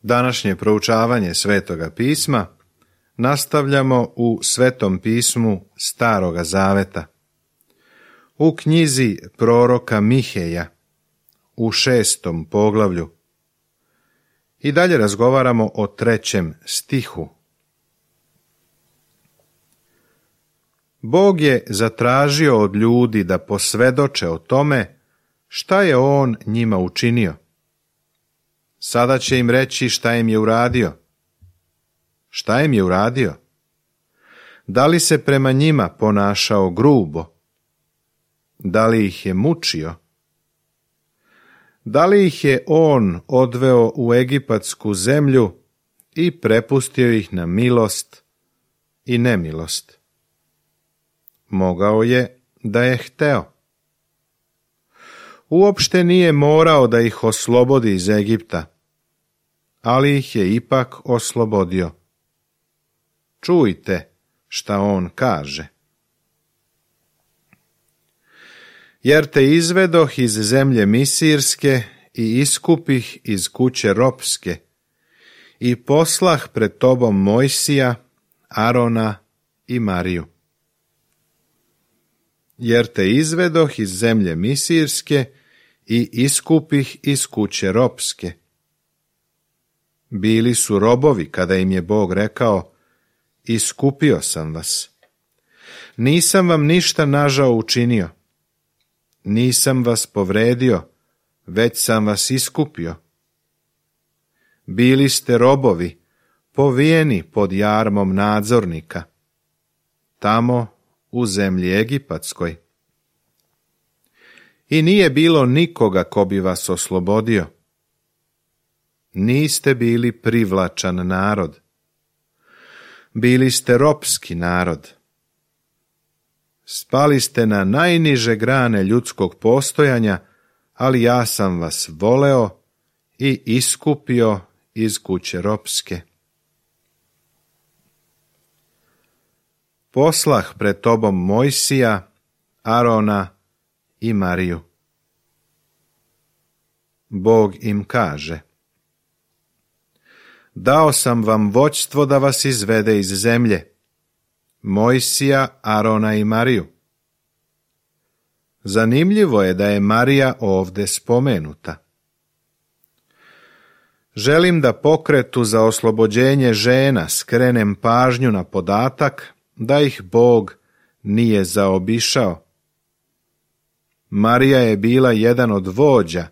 Današnje proučavanje Svetoga pisma nastavljamo u Svetom pismu Staroga Zaveta, u knjizi proroka Miheja, u 6. poglavlju. I dalje razgovaramo o 3. stihu. Bog je zatražio od ljudi da posvjedoče o tome šta je On njima učinio. Sada će im reći šta im je uradio. Šta im je uradio? Da li se prema njima ponašao grubo? Da li ih je mučio? Da li ih je On odveo u egipatsku zemlju i prepustio ih na milost i nemilost? Mogao je da je hteo. Uopšte nije morao da ih oslobodi iz Egipta, ali ih je ipak oslobodio. Čujte šta On kaže. Jer te izvedoh iz zemlje Misirske i iskupih iz kuće ropske i poslah pred tobom Mojsija, Arona i Mariju. Jer te izvedoh iz zemlje Misirske i iskupih iz kuće ropske. Bili su robovi kada im je Bog rekao: iskupio sam vas. Nisam vam ništa nažao učinio. Nisam vas povredio, već sam vas iskupio. Bili ste robovi, povijeni pod jarmom nadzornika, tamo u zemlji Egipatskoj. I nije bilo nikoga ko bi vas oslobodio. Niste bili privlačan narod. Bili ste ropski narod. Spali ste na najniže grane ljudskog postojanja, ali ja sam vas voleo i iskupio iz kuće ropske. Poslah pred tobom Mojsija, Arona i Mariju. Bog im kaže: dao sam vam vođstvo da vas izvede iz zemlje, Mojsija, Arona i Mariju. Zanimljivo je da je Marija ovdje spomenuta. Želim da pokretu za oslobođenje žena skrenem pažnju na podatak da ih Bog nije zaobišao. Marija je bila jedan od vođa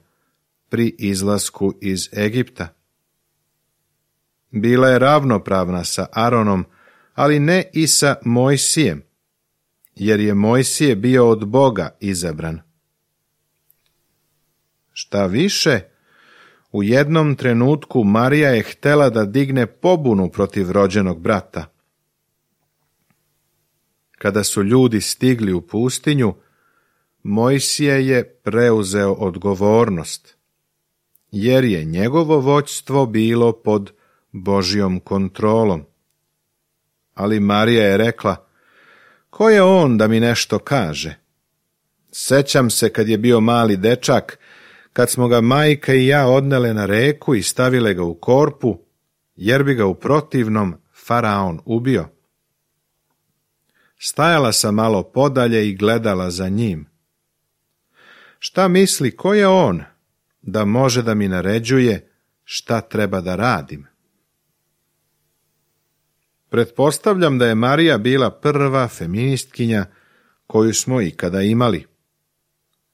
pri izlasku iz Egipta. Bila je ravnopravna sa Aronom, ali ne i sa Mojsijem, jer je Mojsije bio od Boga izabran. Šta više, u jednom trenutku Marija je htjela da digne pobunu protiv rođenog brata. Kada su ljudi stigli u pustinju, Mojsije je preuzeo odgovornost, jer je njegovo vođstvo bilo pod Božjom kontrolom. Ali Marija je rekla: ko je on da mi nešto kaže? Sećam se kad je bio mali dečak, kad smo ga majka i ja odnele na reku i stavile ga u korpu, jer bi ga u protivnom faraon ubio. Stajala sam malo podalje i gledala za njim. Šta misli, ko je on da može da mi naređuje šta treba da radim? Pretpostavljam da je Marija bila prva feministkinja koju smo ikada imali.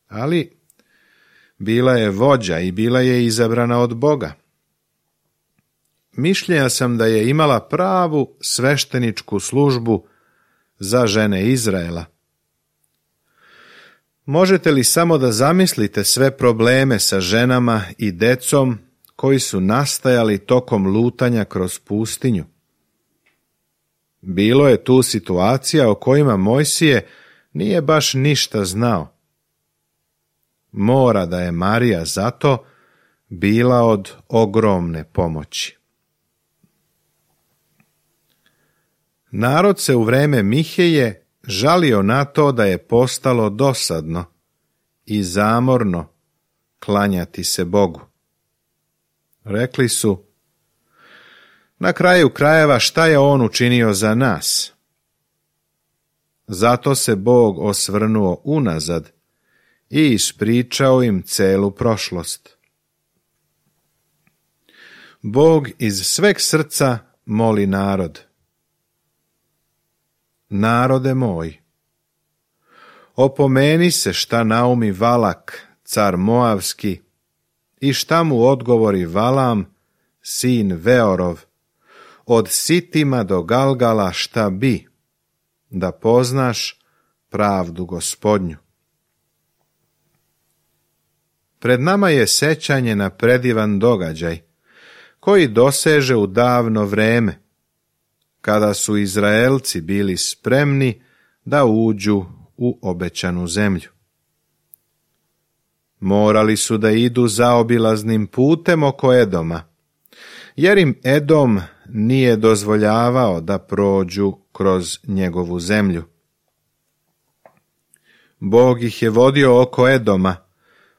Ali bila je vođa i bila je izabrana od Boga. Mišljenja sam da je imala pravu svešteničku službu za žene Izraela. Možete li samo da zamislite sve probleme sa ženama i decom koji su nastajali tokom lutanja kroz pustinju? Bilo je tu situacija o kojima Mojsije nije baš ništa znao. Mora da je Marija zato bila od ogromne pomoći. Narod se u vreme Miheje žalio na to da je postalo dosadno i zamorno klanjati se Bogu. Rekli su: Na kraju krajeva šta je on učinio za nas? Zato se Bog osvrnuo unazad i ispričao im celu prošlost. Bog iz sveg srca moli narod. Narode moj, opomeni se šta naumi Valak, car Moavski, i šta mu odgovori Valam, sin Veorov, od Sitima do Galgala šta bi, da poznaš pravdu Gospodnju. Pred nama je sećanje na predivan događaj, koji doseže u davno vreme, kada su Izraelci bili spremni da uđu u obećanu zemlju. Morali su da idu zaobilaznim putem oko Edoma, jer im Edom nije dozvoljavao da prođu kroz njegovu zemlju. Bog ih je vodio oko Edoma,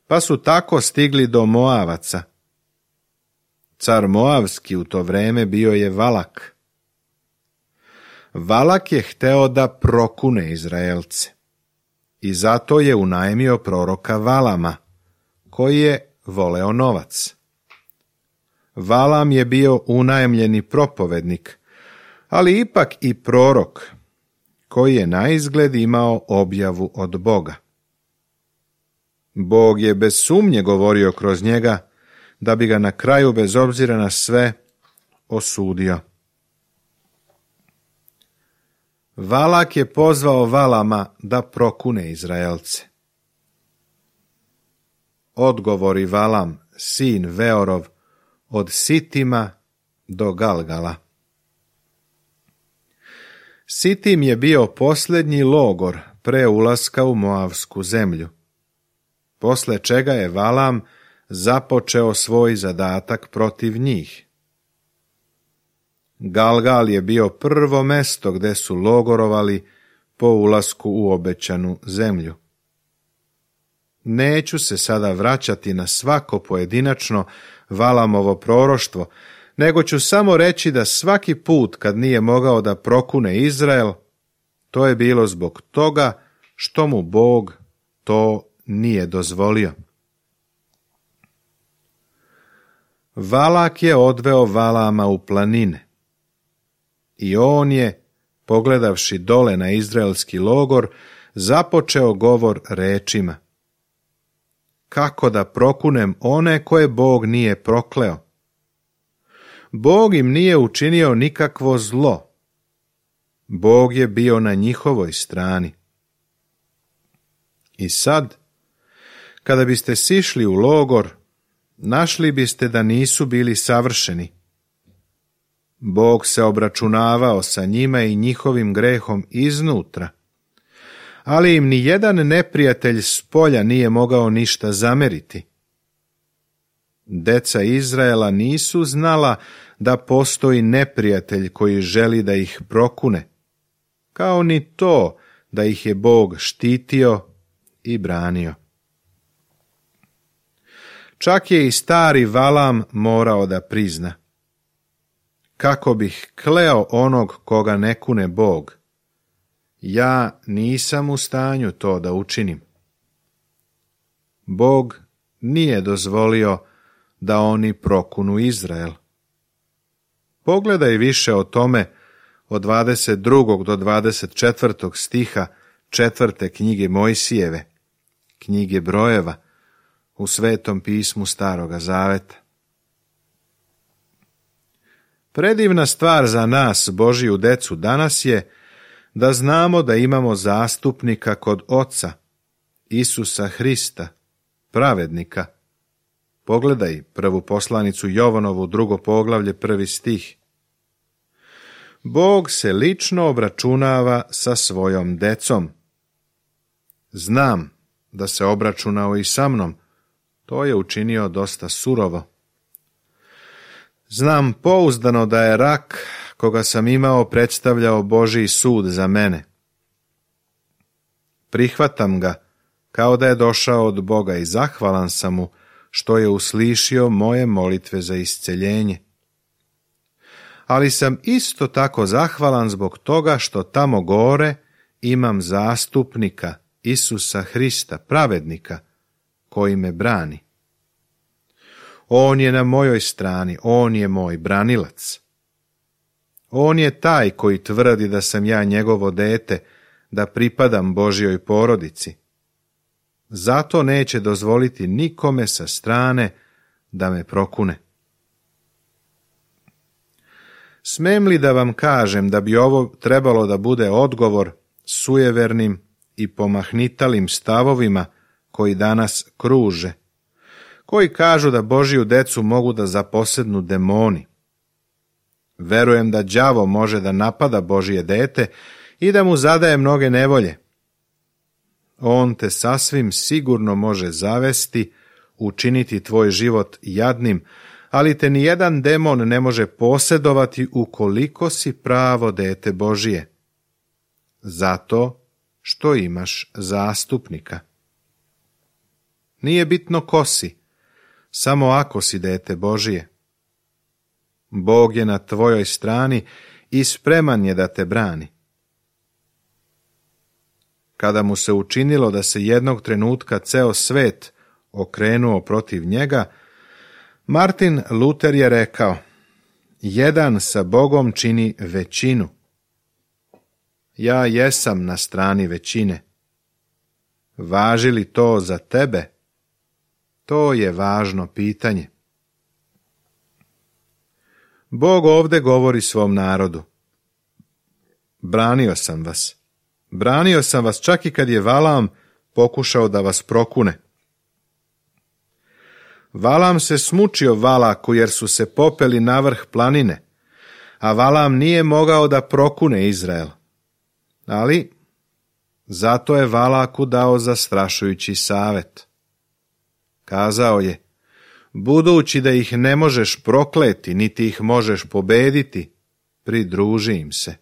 pa su tako stigli do Moavaca. Car Moavski u to vreme bio je Valak. Valak je hteo da prokune Izraelce i zato je unajmio proroka Valama, koji je voleo novac. Valam je bio unajmljeni propovednik, ali ipak i prorok, koji je naizgled imao objavu od Boga. Bog je bez sumnje govorio kroz njega, da bi ga na kraju, bez obzira na sve, osudio. Valak je pozvao Valama da prokune Izraelce. Odgovori Valam, sin Veorov, od Sitima do Galgala. Sitim je bio posljednji logor pre ulaska u Moavsku zemlju, posle čega je Valam započeo svoj zadatak protiv njih. Galgal je bio prvo mesto gde su logorovali po ulasku u obećanu zemlju. Neću se sada vraćati na svako pojedinačno Valamovo proroštvo, nego ću samo reći da svaki put kad nije mogao da prokune Izrael, to je bilo zbog toga što mu Bog to nije dozvolio. Valak je odveo Valama u planine i on je, pogledavši dole na izraelski logor, započeo govor rečima: kako da prokunem one koje Bog nije prokleo? Bog im nije učinio nikakvo zlo. Bog je bio na njihovoj strani. I sad, kada biste sišli u logor, našli biste da nisu bili savršeni. Bog se obračunavao sa njima i njihovim grehom iznutra, ali im ni jedan neprijatelj s polja nije mogao ništa zameriti. Deca Izraela nisu znala da postoji neprijatelj koji želi da ih prokune, kao ni to da ih je Bog štitio i branio. Čak je i stari Valam morao da prizna: kako bih kleo onog koga ne kune Bog, ja nisam u stanju to da učinim. Bog nije dozvolio da oni prokunu Izrael. Pogledaj više o tome od 22. do 24. stiha 4. knjige Mojsijeve, knjige Brojeva, u Svetom pismu Staroga Zaveta. Predivna stvar za nas, Božiju decu, danas je da znamo da imamo zastupnika kod Oca, Isusa Hrista, pravednika. Pogledaj prvu poslanicu Jovanovu, 2. poglavlje, 1. stih. Bog se lično obračunava sa svojom decom. Znam da se obračunao i sa mnom, to je učinio dosta surovo. Znam pouzdano da je rak koga sam imao predstavljao Božji sud za mene. Prihvatam ga kao da je došao od Boga i zahvalan sam mu što je uslišio moje molitve za isceljenje. ali sam isto tako zahvalan zbog toga što tamo gore imam zastupnika, Isusa Hrista, pravednika, koji me brani. On je na mojoj strani, on je moj branilac. On je taj koji tvrdi da sam ja njegovo dete, da pripadam Božjoj porodici. Zato neće dozvoliti nikome sa strane da me prokune. Smem li da vam kažem da bi ovo trebalo da bude odgovor sujevernim i pomahnitalim stavovima koji danas kruže, koji kažu da Božju decu mogu da zaposednu demoni? Verujem da đavo može da napada Božje dete i da mu zadaje mnoge nevolje. On te sasvim sigurno može zavesti, učiniti tvoj život jadnim, ali te nijedan demon ne može posedovati ukoliko si pravo dete Božije. Zato što imaš zastupnika. Nije bitno ko si, samo ako si dete Božije. Bog je na tvojoj strani i spreman je da te brani. Kada mu se učinilo da se jednog trenutka ceo svet okrenuo protiv njega, Martin Luter je rekao: jedan sa Bogom čini većinu. Ja jesam na strani većine. Važi li to za tebe? To je važno pitanje. Bog ovdje govori svom narodu: branio sam vas. Branio sam vas čak i kad je Valam pokušao da vas prokune. Valam se smučio Valaku jer su se popeli na vrh planine, a Valam nije mogao da prokune Izrael. Ali zato je Valaku dao zastrašujući savjet. Kazao je: budući da ih ne možeš prokleti, niti ih možeš pobediti, pridruži im se.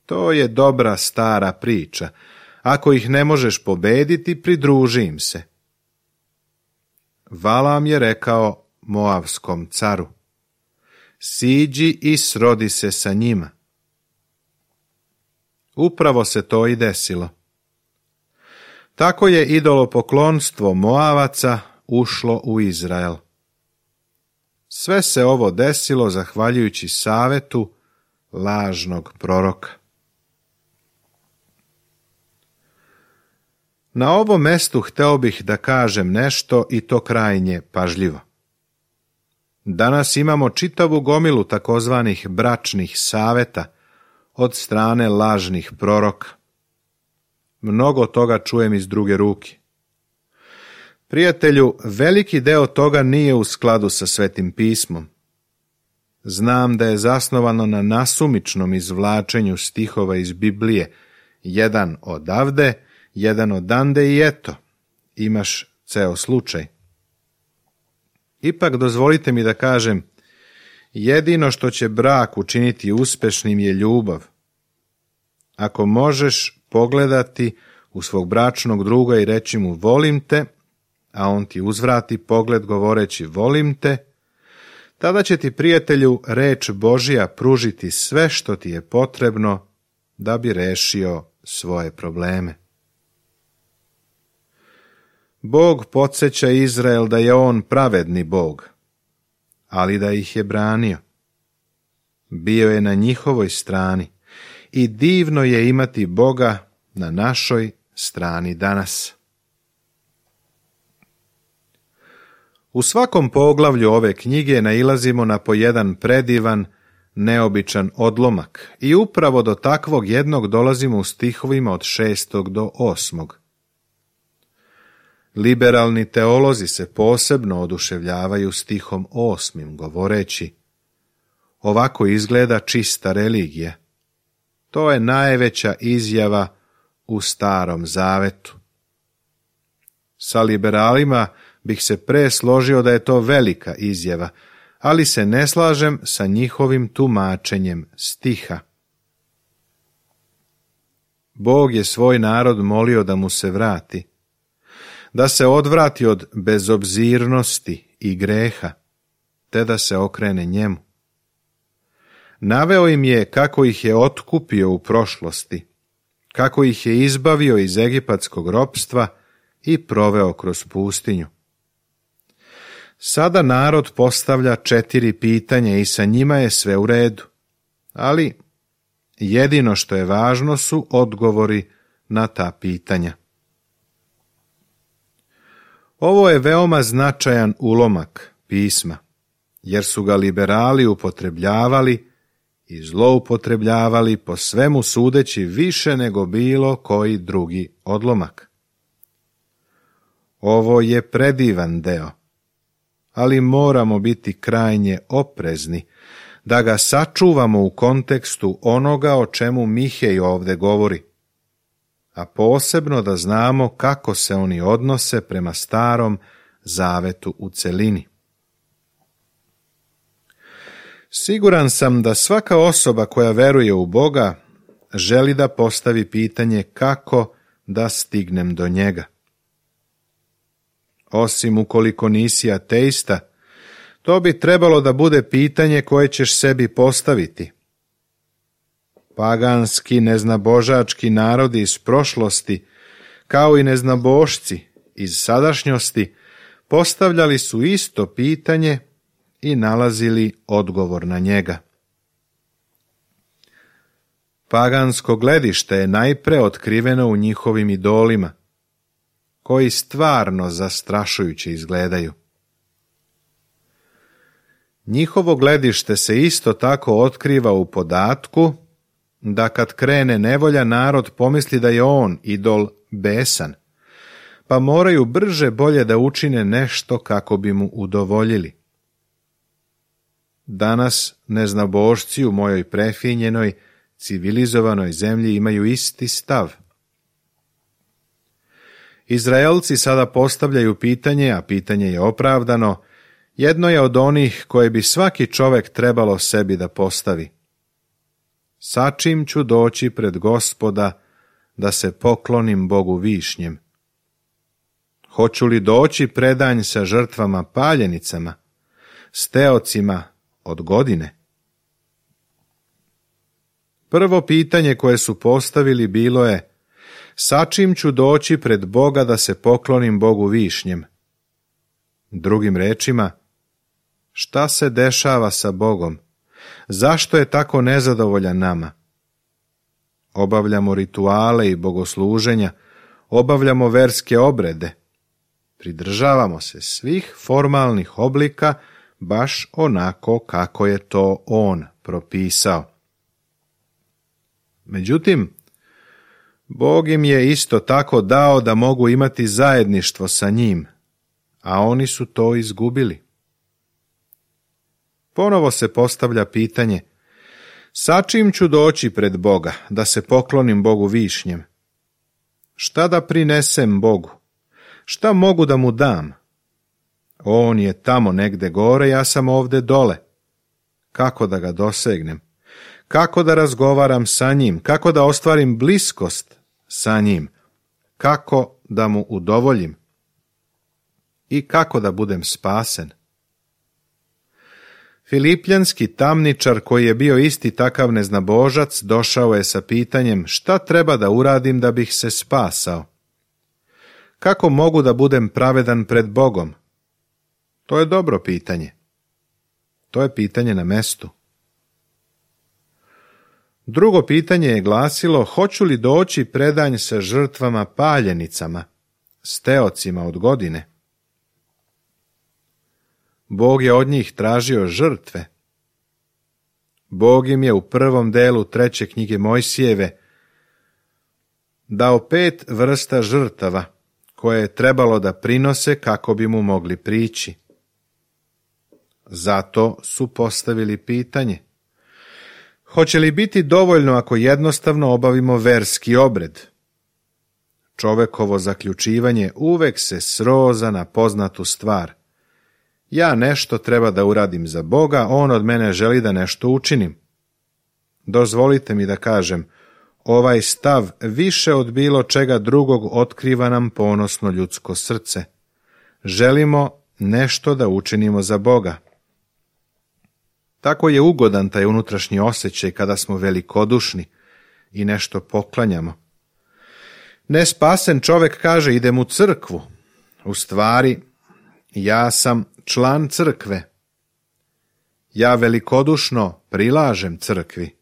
To je dobra stara priča. Ako ih ne možeš pobediti, pridruži im se. Valam je rekao Moavskom caru: siđi i srodi se sa njima. Upravo se to i desilo. Tako je idolopoklonstvo Moavaca ušlo u Izrael. Sve se ovo desilo zahvaljujući savetu lažnog proroka. Na ovom mestu hteo bih da kažem nešto i to krajnje pažljivo. Danas imamo čitavu gomilu takozvanih bračnih saveta od strane lažnih proroka. Mnogo toga čujem iz druge ruke. Prijatelju, veliki deo toga nije u skladu sa Svetim pismom. Znam da je zasnovano na nasumičnom izvlačenju stihova iz Biblije, jedan odavde, jedan odande i eto, imaš ceo slučaj. Ipak dozvolite mi da kažem, jedino što će brak učiniti uspešnim je ljubav. Ako možeš pogledati u svog bračnog druga i reći mu volim te, a on ti uzvrati pogled govoreći volim te, tada će ti, prijatelju, reč Božja pružiti sve što ti je potrebno da bi rešio svoje probleme. Bog podsjeća Izrael da je on pravedni Bog, ali da ih je branio. Bio je na njihovoj strani i divno je imati Boga na našoj strani danas. U svakom poglavlju ove knjige nailazimo na po jedan predivan, neobičan odlomak i upravo do takvog jednog dolazimo u stihovima od 6. do 8. Liberalni teolozi se posebno oduševljavaju stihom 8. govoreći: ovako izgleda čista religija. To je najveća izjava u Starom Zavetu. Sa liberalima bih se pre složio da je to velika izjava, ali se ne slažem sa njihovim tumačenjem stiha. Bog je svoj narod molio da mu se vrati, da se odvrati od bezobzirnosti i greha, te da se okrene njemu. Naveo im je kako ih je otkupio u prošlosti, kako ih je izbavio iz egipatskog ropstva i proveo kroz pustinju. Sada narod postavlja 4 pitanja i sa njima je sve u redu, ali jedino što je važno su odgovori na ta pitanja. Ovo je veoma značajan ulomak pisma, jer su ga liberali upotrebljavali i zloupotrebljavali po svemu sudeći više nego bilo koji drugi odlomak. Ovo je predivan deo, ali moramo biti krajnje oprezni da ga sačuvamo u kontekstu onoga o čemu Mihej ovdje govori, a posebno da znamo kako se oni odnose prema Starom zavetu u celini. Siguran sam da svaka osoba koja veruje u Boga želi da postavi pitanje kako da stignem do njega. Osim ukoliko nisi ateista, to bi trebalo da bude pitanje koje ćeš sebi postaviti. Paganski, neznabožački narodi iz prošlosti, kao i neznabošci iz sadašnjosti, postavljali su isto pitanje i nalazili odgovor na njega. Pagansko gledište je najpre otkriveno u njihovim idolima, koji stvarno zastrašujuće izgledaju. Njihovo gledište se isto tako otkriva u podatku da kad krene nevolja narod pomisli da je on idol besan, pa moraju brže bolje da učine nešto kako bi mu udovoljili. Danas neznabošci u mojoj prefinjenoj, civilizovanoj zemlji imaju isti stav. Izraelci sada postavljaju pitanje, a pitanje je opravdano, jedno je od onih koje bi svaki čovek trebalo sebi da postavi. Sa čim ću doći pred Gospoda da se poklonim Bogu višnjem? Hoću li doći predanj sa žrtvama paljenicama, s teocima od godine? Prvo pitanje koje su postavili bilo je: sa čim ću doći pred Boga da se poklonim Bogu višnjem? Drugim rečima, šta se dešava sa Bogom? Zašto je tako nezadovoljan nama? Obavljamo rituale i bogosluženja, obavljamo verske obrede, pridržavamo se svih formalnih oblika baš onako kako je to on propisao. Međutim, Bog im je isto tako dao da mogu imati zajedništvo sa njim, a oni su to izgubili. Ponovo se postavlja pitanje: sa čim ću doći pred Boga da se poklonim Bogu višnjem? Šta da prinesem Bogu? Šta mogu da mu dam? On je tamo negde gore, ja sam ovde dole. Kako da ga dosegnem? Kako da razgovaram sa njim? Kako da ostvarim bliskost sa njim? Kako da mu udovoljim? I kako da budem spasen? Filipljanski tamničar, koji je bio isti takav neznabožac, došao je sa pitanjem: šta treba da uradim da bih se spasao? Kako mogu da budem pravedan pred Bogom? To je dobro pitanje. To je pitanje na mestu. Drugo pitanje je glasilo: hoću li doći predanj sa žrtvama paljenicama, s teocima od godine? Bog je od njih tražio žrtve. Bog im je u prvom delu 3. knjige Mojsijeve dao 5 vrsta žrtava koje je trebalo da prinose kako bi mu mogli prići. Zato su postavili pitanje: hoće li biti dovoljno ako jednostavno obavimo verski obred? Čovekovo zaključivanje uvek se sroza na poznatu stvar: ja nešto treba da uradim za Boga, on od mene želi da nešto učinim. Dozvolite mi da kažem, ovaj stav više od bilo čega drugog otkriva nam ponosno ljudsko srce. Želimo nešto da učinimo za Boga. Tako je ugodan taj unutrašnji osjećaj kada smo velikodušni i nešto poklanjamo. Nespasen čovjek kaže idem u crkvu. U stvari, ja sam član crkve. Ja velikodušno prilažem crkvi.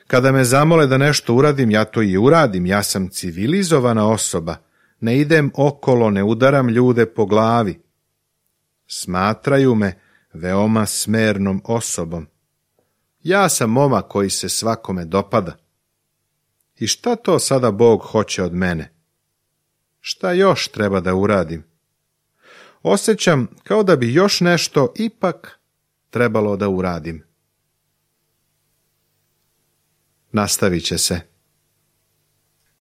Kada me zamole da nešto uradim, ja to i uradim. Ja sam civilizovana osoba. Ne idem okolo, ne udaram ljude po glavi. Smatraju me veoma smernom osobom. Ja sam momak koji se svakome dopada. I šta to sada Bog hoće od mene? Šta još treba da uradim? Osjećam kao da bi još nešto ipak trebalo da uradim. Nastavit će se.